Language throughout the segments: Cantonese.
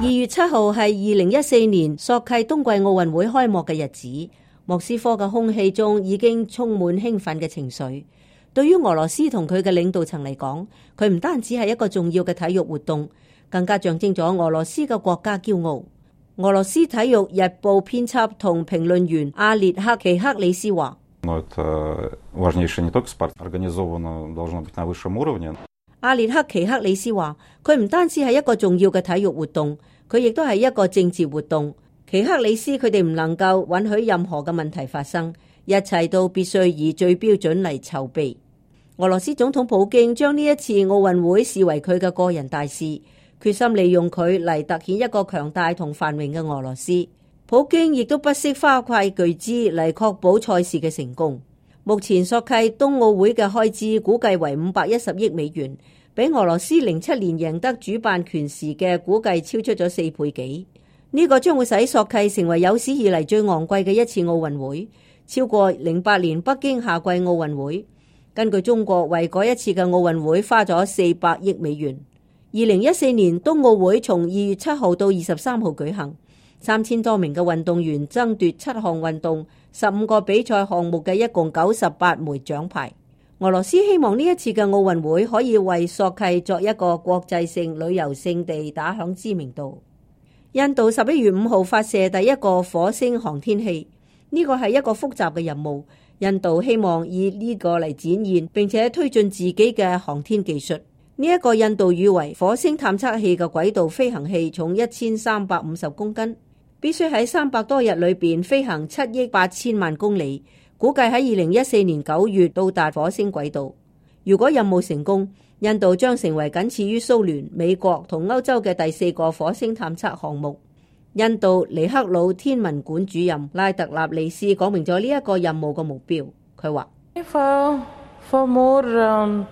2月7號係2014年索契冬季奧運會開幕嘅日子，莫斯科嘅空氣中已經充滿興奮嘅情緒。對於俄羅斯同佢嘅領導層嚟講，佢唔單止係一個重要嘅體育活動，更加象徵咗俄羅斯嘅國家驕傲。俄羅斯體育日報編輯同評論員阿列克奇克里斯話：阿列克奇克里斯話，佢唔單止係一個重要嘅體育活動，佢亦都係一個政治活動。奇克里斯佢哋唔能夠允許任何嘅問題發生，一切都必須以最標準嚟籌備。俄羅斯總統普京將呢一次奧運會視為佢嘅個人大事，決心利用佢嚟凸顯一個強大同繁榮嘅俄羅斯。普京亦都不惜花費巨資嚟確保賽事嘅成功。目前索契冬奧會嘅開支估計為510億美元，比俄羅斯07年贏得主辦權時嘅估計超出咗4倍幾。呢個將會使索契成為有史以嚟最昂貴嘅一次奧運會，超過08年北京夏季奧運會。根據中國為嗰一次嘅奧運會花咗400億美元。2014年冬奧會從2月7號到23號舉行，3000多名嘅運動員爭奪7項運動、15個比賽項目嘅一共98枚獎牌。俄羅斯希望呢一次嘅奧運會可以為索契作一個國際性旅遊勝地打響知名度。印度11月5號發射第一個火星航天器，呢個係一個複雜嘅任務。印度希望以呢個嚟展現並且推進自己嘅航天技術。呢一個印度譽為火星探測器嘅軌道飛行器重1350公斤，必須喺300多日裏邊飛行7億8千萬公里，估計喺2014年9月到達火星軌道。如果任務成功，印度將成為僅次於蘇聯、美國同歐洲嘅第4個火星探測項目。印度尼克魯天文館主任拉特納利斯講明咗呢一個任務嘅目標。佢話：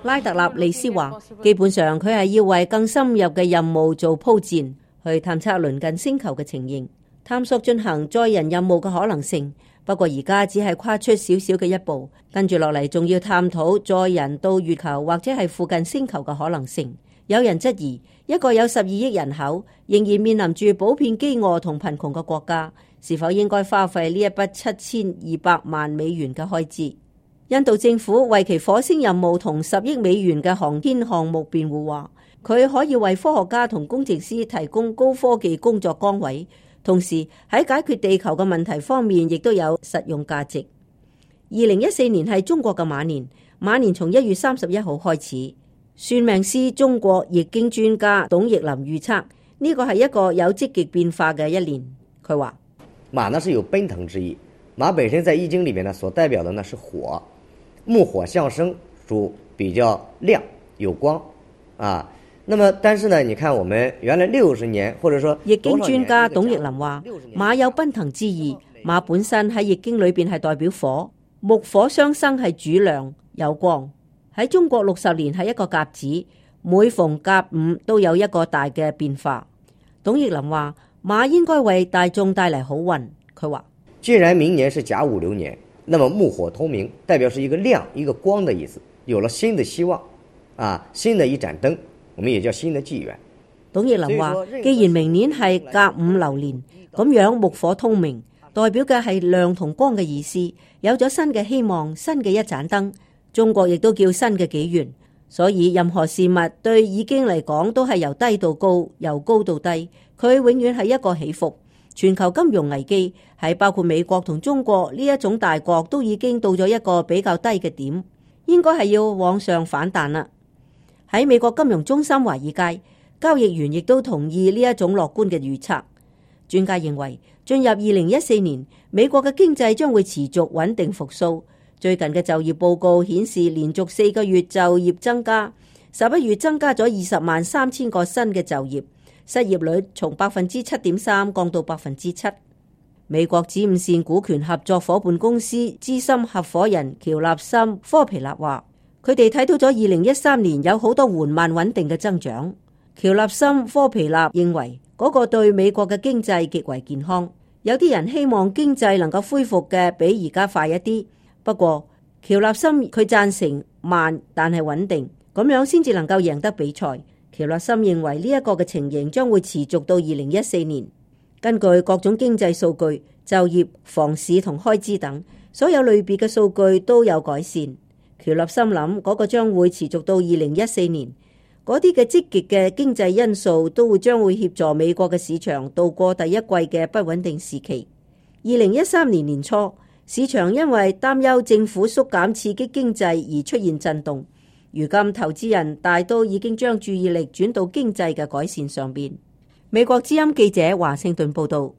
拉特納利斯話，基本上佢係要為更深入嘅任務做鋪墊，去探測鄰近星球嘅情形，探索進行載人任務嘅可能性。不過而家只係跨出少少嘅一步，跟住落嚟仲要探討載人到月球或者係附近星球嘅可能性。有人質疑，一個有12億人口，仍然面臨住普遍飢餓同貧窮嘅國家，是否應該花費呢一筆7200萬美元嘅開支？印度政府為其火星任務同10億美元嘅航天項目辯護話，佢可以為科學家同工程師提供高科技工作崗位，同時喺解決地球嘅問題方面亦都有實用價值。2014年係中國嘅馬年，馬年從1月31號開始。算命師中國易經專家董奕林預測，呢個係一個有積極變化嘅一年。佢話：馬呢是有奔騰之意，馬本身在易經裏面呢所代表的呢是火，木火相生，主比較亮有光啊。那麼但是呢，你看我們原來60年或者說易經專家董奕林話，馬有奔騰之意，馬本身喺易經裏邊係代表火，木火相生係主亮有光。喺中國60年係一個甲子，每逢甲午都有一個大嘅變化。董奕林話，馬應該為大眾帶嚟好運。佢話，既然明年是甲午流年，那麼木火通明，代表是一個亮一個光的意思，有了新的希望啊，新的一盞燈，我們也叫新的紀元。董奕林話，既然明年係甲午流年，咁樣木火通明，代表嘅係亮同光嘅意思，有咗新嘅希望，新嘅一盞燈。中國亦都叫新嘅紀元，所以任何事物對易經嚟講都係由低到高，由高到低，佢永遠係一個起伏。全球金融危機係包括美國同中國呢一種大國都已經到咗一個比較低嘅點，應該係要往上反彈啦。喺美國金融中心華爾街，交易員亦都同意呢一種樂觀嘅預測。專家認為進入2014年，美國嘅經濟將會持續穩定復甦。最近嘅就業報告顯示，連續4個月就業增加，11月增加咗203000個新嘅就業，失業率從7.3%降到7%。美國子午線股權合作夥伴公司資深合夥人喬納森科皮納話，佢哋睇到咗2013年有好多緩慢穩定嘅增長。喬納森科皮納認為嗰個對美國嘅經濟極為健康，有啲人希望經濟能夠恢復嘅比而家快一啲。不過喬納森佢贊成慢但係穩定，咁樣先至能夠贏得比賽。喬勒森認為呢一個嘅情形將會持續到2014年。根據各種經濟數據、就業、房市同開支等所有類別嘅數據都有改善。喬勒森諗嗰個將會持續到2014年。嗰啲嘅積極嘅經濟因素都會將會協助美國嘅市場度過第一季嘅不穩定時期。2013年年初，市場因為擔憂政府縮減刺激經濟而出現震動。如今投資人大都已經將注意力轉到經濟嘅改善上邊。美國之音記者華盛頓報道。